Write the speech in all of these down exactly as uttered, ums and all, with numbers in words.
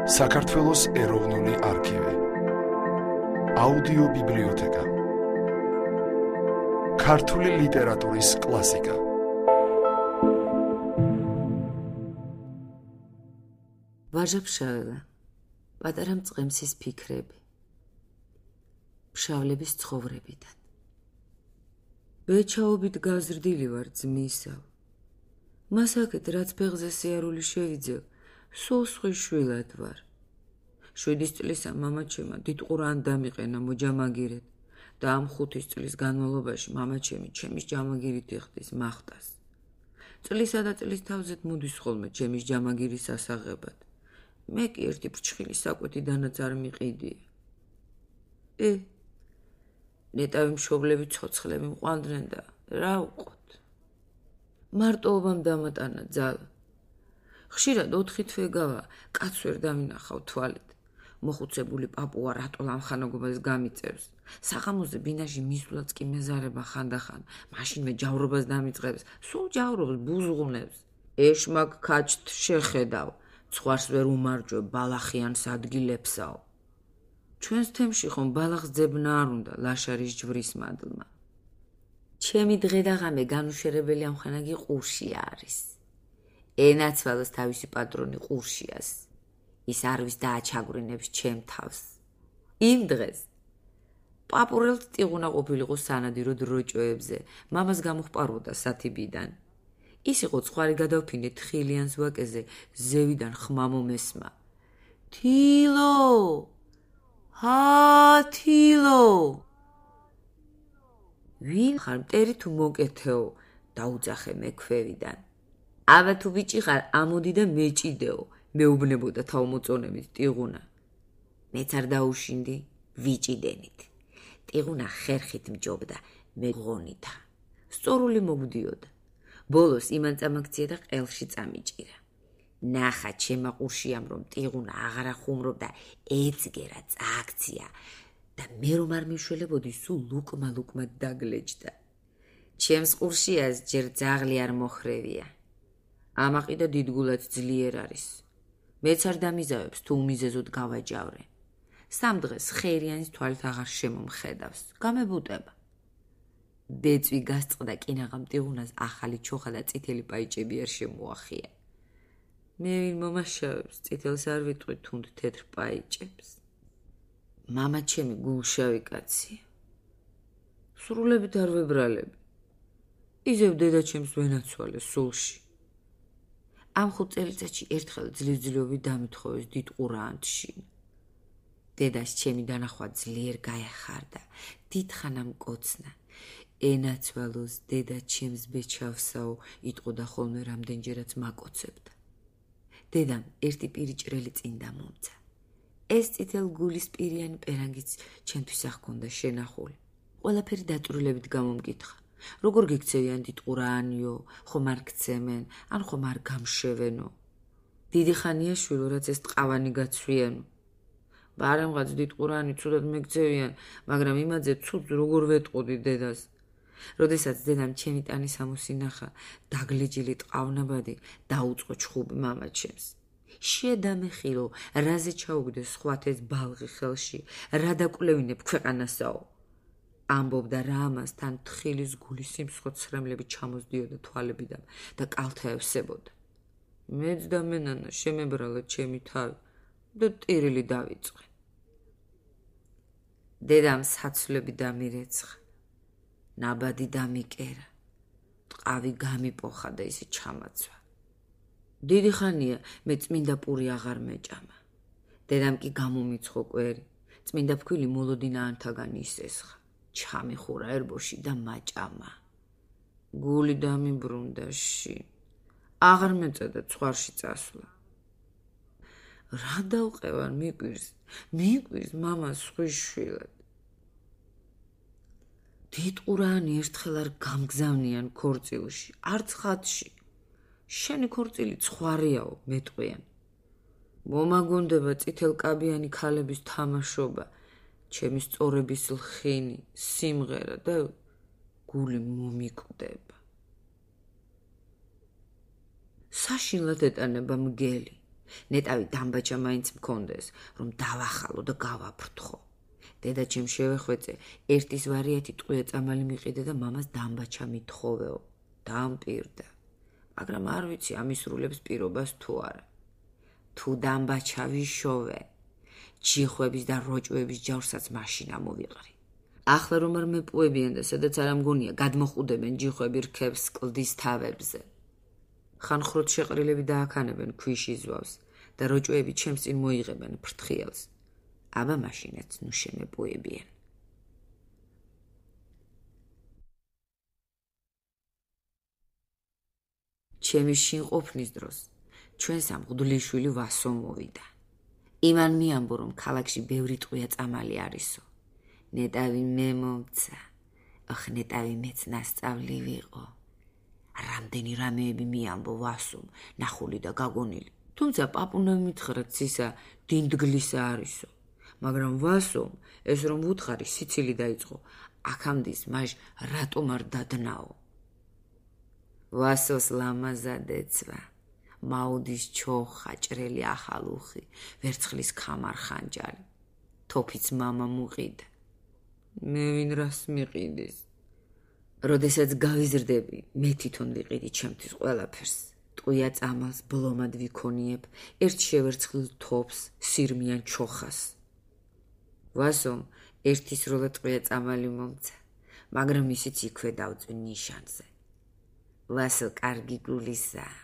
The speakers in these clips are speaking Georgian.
საქართველოს ეროვნული არქივი, აუდიო ბიბლიოთეკა, ქართული ლიტერატურის კლასიკა. ვაჟა-ფშაველა, პატარა მწყემსის ფიქრები, ფშავლების ცხოვრებიდან. ბეჩაობით გაზრდილი ვარ ძმისავ, მას აქეთ რაც ფეხზე სიარული შევიძევ, სულ სხვის შვილად ვარ. შვიდის წლისა მამაჩემმა დიდ ყურან დამიყენა მოჯამაგირეთ და ამ ხუთის წლის განმავლობაში მამაჩემი ჩემის ჯამაგირით იხდის მახტას. წლისა და წლის თავზეთ მოდის ხოლმე ჩემის ჯამაგირის ასაღებად. მე კი ერთი ფრჩხილი საკვეთიდანაც არ მიყიდია. ე, ნეტავი მშობლები ცოცხლები მყვანდნენ და რა უყოთ. მარტოობამ დამატანა ძალა. ხშირად ოთხი თვე გავა, კაც ვერ დამინახავ თვალით. მოხუცებული პაპუა რატო ლამხანოგობას გამიწევს. საღამოზე ბინაში მისვლაც კი მეზარება ხანდახან, მაშინვე ჯავრობას დამიწყებს, სულ ჯავრობს, ბუზღუნებს. ეშმაკ ქაჩთ შეხედავ, ცხვარს ვერ უმარჯვებ ბალახიანს ადგილებსაო. ჩვენს თემში ხომ ბალახს ძებნა არ უნდა ლაშარის ჯვრის მადლმა. ჩემი დღე და ღამე განუშერებელი ამხანაგი ყურში არის. ენაცვალოს თავისი პატრონი ყურშიას. ის არვის დააჩაგვრინებს ჩემ თავს. იმ დღეს პაპურელთ ტიღუნა ყოფილიყო სანადირო დროჭოებზე, მამას გამოხპარვოდა სათიბიდან. ის იყო ცხვარი გადავფინე თხილიანს ვაკეზე, ზევიდან ხმა მომესმა. თილო! ჰა, თილო! ვინ ხარ, მტერი თუ მოკეთეო? დაუძახე მე ქვევიდან. აბა თუ ბიჭი ხარ, ამოდი და მეჭიდეო, მეუბნებოდა თავმოწონებით ტიღუნა. მეც არ დაუშინდი, ვიჭიდენით. ტიღუნა ხერხით მჯობდა, მე ღონითა. სწორული მოგდიოდა. ბოლოს იმან წამაქცია და ყელში წამიჭირა. ნახა ჩემა ყურშიამ რომ ტიღუნა აღარ ახუმრობდა, ეცგერა წააქცია და მე რომ არ მიშველებოდი, სულ ლუკმა ლუკმა დაგლეჯდა. ჩემს ყურშიას ჯერ ძაღლი არ მოხრევია. ამაყი და დიდგულად ძლიერ არის. მეც არ დამიზავებს თუ უმიზეზოდ გავაჯავრე. სამ დღეს ხერიანის თვალით აღარ შემომხედავს, გამებუტება. ბეწვი გასწყდა კინაღამ ტიღუნას ახალი ჩოხა და წითელი პაიჭები არ შემოახია. მე ვინ მომაშავებს, წითელს არ ვიტყვი თუნდ თეთრ პაიჭებს. მამა ჩემი გულშავი კაცია. სრულებით არ ვებრალები. იზევ დედა ჩემს ვენაცვალე სულში. ამ ხუთ წელიწადში ერთხელ ძლივ-ძლივი დამითხოვეს დიდ ყურანში. დედას ჩემი დანახვა ძლიერ გაეხარდა, დიდხანა მკოცნა. ენაცვალოს დედა ჩემს ბეჩავსაო, იტყოდა ხოლმე რამდენჯერაც მაკოცებდა. დედამ ერთი პირიჭრელი წინ დამომცა. ეს წითელ გულის პირიანი პერანგიც ჩემთვის ახქონდა შენახული. ყველაფერი დაწვრილებით გამომკითხა. როგორ გიქცევიან დიდ ყურაანიო, ხომ არ გცემენ, ან ხომ არ გამშევენო. დიდი ხანია შვილო, რაც ეს ტყავანი გაცვიანო. ბარემღაც დიდ ყურაანი ცუდად მეგცევიან, მაგრამ იმაძე ცუდს როგორ ვეტყოდი დედას. როდესაც დედამ ჩემი ტანის ამოსინახა, დაგლეჯილი ტყავნაბადი დაუწყო ჩხუბი მამაჩემს. შედამეხილო, რაზე ჩაუგდეს სხვათეს ბალღი ხელში, რა დაკვლევინებ ქვეყანასაო. ამბობდა რა ამასთან თხილის გულის სიმსხოთსრემლები ჩამოსდიოდა თვალებიდან და კალთაევსებოდა. მეც და მენანა შემებრალა ჩემი თავი და ტირილი დავიწყე. დედამ საცვლები დამირეცხა, ნაბადი დამიკერა, ტყავი გამიპოხა და ისე ჩამაცვა. დიდი ხანია მე წმინდა პური აღარ მეჭამა. დედამ კი გამომიცხო კვერი, წმინდა ფქვილი მოლოდინა ანთაგან ისესხა. ჩამიხურა ერბოში და მაჭამა. გული დამიბრუნდა ში. აღარ მეწედა ცხვარში წასვლა. რა დავყევარ მიკვირს, მიკვირს მამას სხვის შვილად. დიდ ყურაანი ერთხელ არ გამგზავნიან ქორწილში, არც ხატში. შენი ქორწილი ცხვარიაო, მეტყვიან. მომაგონდება წითელკაბიანი ქალების თამაშობა, ჩემი სწორების ლხინი, სიმღერა და გული მომიკვდება. საშინლად ეტანება მგელი. ნეტავი დამბაჩა მაინც მქონდეს, რომ დავახალო და გავაფრთხო. დედაჩემ შევეხვეწე, ერთის ვარიათი ტყვია წამალი მიყიდე და მამას დამბაჩა მithხოვეო. დამპირდა. მაგრამ არ ვიცი ამისრულებს პირობას თუ არა. თუ დამბაჩა ვიშოვე, ჯიხვების და როჭვების ჯავრსაც მაშინ ამოვიყრი. ახლა რომ არ მეპუებიან და სადაც არ ამგონია გადმოხუდებენ ჯიხვები რქებს კლდის თავებზე. ხანხროთ შეყრილები დააქანებენ ქვიშის ზვავს და როჭვები ჩემს წინ მოიღებენ ფრთხილს. აბა მაშინაც ნუ შემეპუებიან. ჩემი შინყოფნის დროს ჩვენს ამ მღვდლიშვილი ვასო მოვიდა. იმან მიამბო, რომ ქალაქში ბევრი ტყვია წამალი არისო. ნეტავი მე მომცა. ოხ ნეტავი მეც ნასწავლი ვიყო. რამდენი რამეები მიამბო ვასომ, ნახული და გაგონილი. თუმცა პაპუნა მითხრა ცისა დინდგლისა არისო. მაგრამ ვასომ ეს რომ ვუთხარი სიცილი დაიწყო. აქამდის მაშ რატომ არ დადნაო? ვასოს ლამაზადეცვა. მაუდის ჩოხა, ჭრელი ახალუხი, ვერცხლის ქამარ ხანჯალი. თოფიც მამა მუყიდა. მე ვინ რას მიყიდის? როდესაც გავიზრდები, მე თვითონ ვიყიდი ჩემთვის ყველაფერს. ტყვია წამალს ბლომად ვიქონიებ, ერთ შევერცხლ თოფს, სირმიან ჩოხას. ვასომ ერთი სრულად ტყვია წამალი მომცა, მაგრამ ისიც იქვე დავწვი ნიშანზე. ვასო კარგი გულისაა.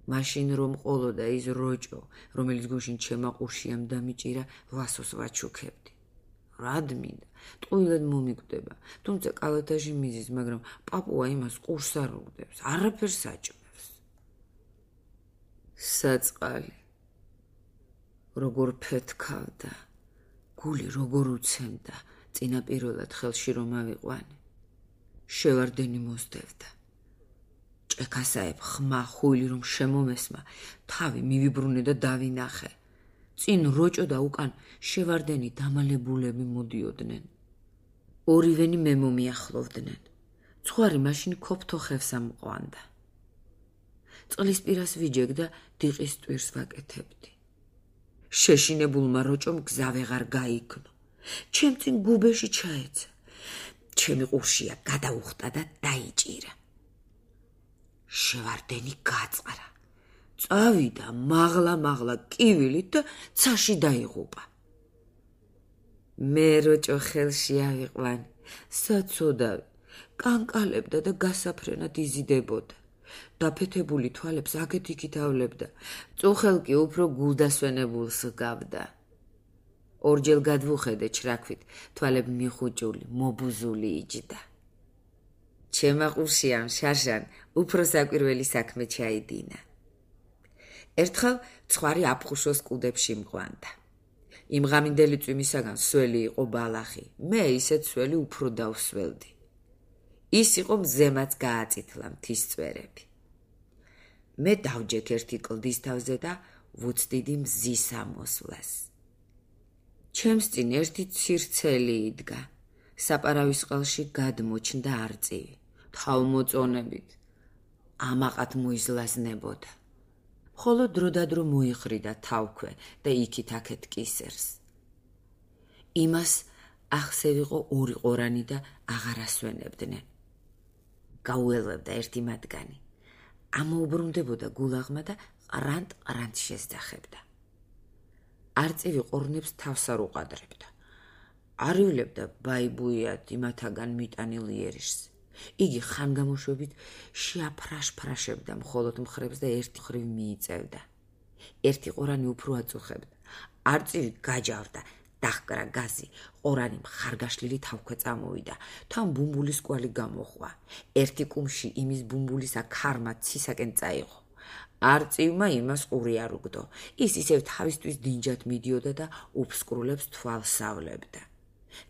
მაშინ რომ ყოლოდა ის როჭო, რომელიც გუშინ ჩემა ყურშიამ დამიჭირა, ვასოს ვაჩუქებდი. რად მინდა, ტყუილად მომიკვდება, თუმცა კალათაში მიზის, მაგრამ პაპუა იმას ყურს არ უგდებს, არაფერს აჭმევს. საწყალი როგორ ფეთქავდა, გული როგორ უცემდა, წინაპირულად ხელში რომ ავიყვანე. შევარდენი მოსდევდა. ჭექასაებ ხმა ხույლი რომ შემომესმა, თავი მივიბრუნე და დავინახე. წინ როჭო და უკან შევარდენი დამალებულები მოდიოდნენ. ორივენი მე მომიახლოვდნენ. ცხვარი მაშინ ქოფთოხევს ამყვანდა. წყლის პირას ვიჯეგ და დიყის ტვირს ვაკეთებდი. შეშინებულმა როჭომ გზა ვეღარ გაიგნო. ჩემ წინ გუბეში ჩაეცა. ჩემი ყურშია გადაუხტა და დაიჭირა. შევარდენი გაწყარა. წავიდა მაღლა-მაღლა კივილით და ცაში დაიღუპა. მე როჭო ხელში ავიყვანე, საცოდავი, კანკალებდა და გასაფრენად იზიდებოდა. დაფეთებული თვალებს აქეთ-იქით ავლებდა, წუხელკი უფრო გულდასვენებულს ჰგავდა. ორჯერ გადვუხედე ჩრაქვით, თვალები მიხუჭული, მობუზული იჯდა. ჩემა ყურშიამ შარშან უფრო საკვირველი საქმე ჩაიდინა. ერთხელ ცხვარი აფხუშოს კუდებში მყვანდა. იმ ღამინდელი წვიმისაგან სველი იყო ბალახი, მე ისეთ სველი უფრო დავსველდი. ის იყო მზემაც გააწითლა მთის წვერები. მე დავჯექ ერთი კლდის თავზე და ვუცდიდი მზის ამოსვლას. ჩემს წინ ერთი ცირცელი იდგა. საპარავის ყელში გადმოჩნდა არწივი, თავმოწონებით. ამაყად მოიზლაზნებოდა. ხოლო დროდადრო მოიხრიდა თავქვე და იქით-აქეთ კისერს. იმას ახსევიყო ორი ყორანი და აღარ ასვენებდნენ. გაუელვებდა ერთი მათგანი. ამოუბრუნდებოდა გულაღმა და ყრანტ-ყრანტ შესძახებდა. არწივი ყორნებს თავს არ უყადრებდა. არიულებდა ბაიბუიად იმათაგან მიტანილ იერიშს. იგი ხანგამოშვებით შეაფრაშფრაშებდა მხოლოდ მხრებს და ერთი ხრივ მიიწევდა. ერთი ყორანი უფრო აწუხებდა. არწივი გაჯავდა, დაჰკრა გაზი, ყორანი მხარგაშლილი თავქვე წამოვიდა, თან ბუმბულის კვალი გამოხვა. ერთი კუმში იმის ბუმბულისა ქარმა ცისაკენ წაიღო. არწივმა იმას ყური არ უგდო. ის ისევ თავისთვის დინჯად მიდიოდა და უფსკრულებს თვალს ავლებდა.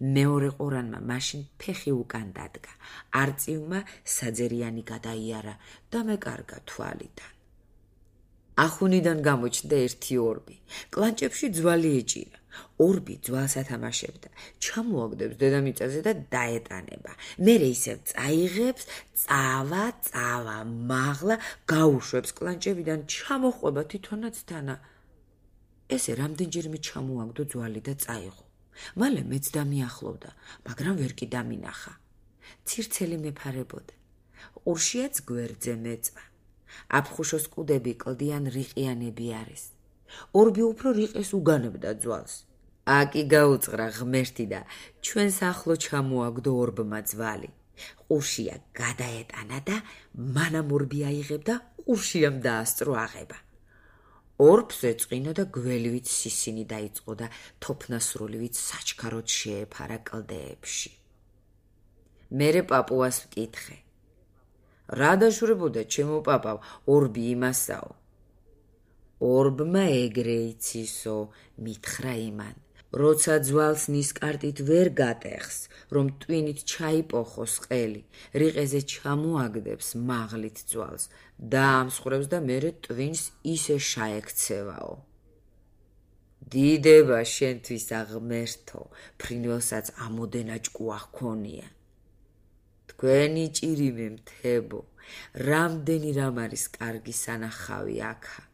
მეორე ყორანმა მაშინ ფეხი უკან დადგა. არწივმა საძერიანი გადაიარა და მეკარგა თვალიდან. ახუნიდან გამოჩნდა ერთი ორბი. კლანჭებში ძვალი ეჭირა. ორბი ძვალს ათამაშებდა. ჩამოაგდებს დედამიწაზე და დაეტანება. მერე ისევ წაიღებს, წავა, წავა, მაღლა, გაუშვებს კლანჭებიდან, ჩამოყვება თვითონაც თანა. ესე რამდენჯერმე ჩამოაგდო ძვალი და წაიღო. მალე მეც დამიახლოვდა, მაგრამ ვერ კი დამინახა. ცირცელი მეფარებოდა. ყურშიაც გვერდზე მეწვა. აფხუშოს კუდები კლდიან რიყიანები არის. ორბი უფრო რიყეს უგანებდა ძვალს. აკი გაუწყრა ღმერთი და ჩვენს ახლო ჩამოაგდო ორბმა ძვალი. ყურშია გადაეტანა და მანამ ორბი აიღებდა, ყურშიამ დაასწრო აღება. ორბს ეწყინა და გველივით სისინი დაიწყო და თოფნასრულივით საჩქაროდ შეეფარა კლდეებში. მერე პაპუას ვკითხე. რა დაშურებოდა ჩემო პაპავ, ორბი იმასაო. ორბმა ეგრე იცისო, მითხრა იმან. როცა ძვალს ნისკარტით ვერ გატეხს, რომ ტვინით ჩაიპოხოს ყელი, რიყეზე ჩამოაგდებს მაღლით ძვალს, დაამსხვრევს და მერე ტვინს ისე შაექცევაო. დიდება შენთვის აღმერთო, ფრინველსაც ამოდენა ჭკუა ჰქონია. თქვენი ჭირიმე მთებო, რამდენი რამ არის კარგი სანახავი აქა.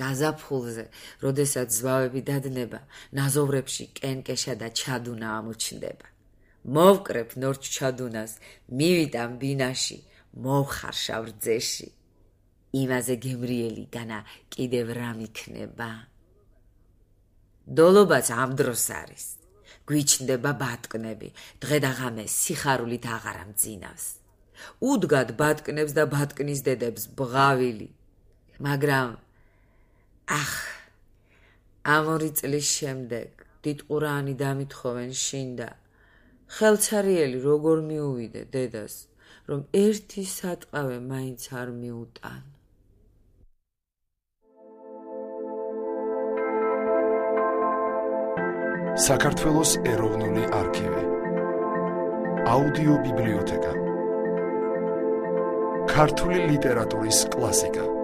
გაზაფხულზე, როდესაც ზვავები დადნება, ნაზოვრებში კენკეშა და ჩადუნა ამოჩნდება. მოვკრებ ნორჩ ჩადუნას, მივიტან ბინაში, მოვხარშავ რძეში. იმაზე გემრიელი განა კიდევ რამ იქნება? დოლობაც ამ დროს არის. გვიჩნდება ბატკნები, დღე და ღამე სიხარულით აღარ ამძინავს. უდგად ბატკნებს და ბატკნის დედებს ბღავილი. მაგრამ ახ, ამ ორი წლის შემდეგ დიდყურაანი დამითხოვენ შინ და ხელცარიელი როგორ მიუვიდე დედას, რომ ერთი სატყავე მაინც არ მიუტან. საქართველოს ეროვნული არქივი. აუდიო ბიბლიოთეკა. ქართული ლიტერატურის კლასიკა.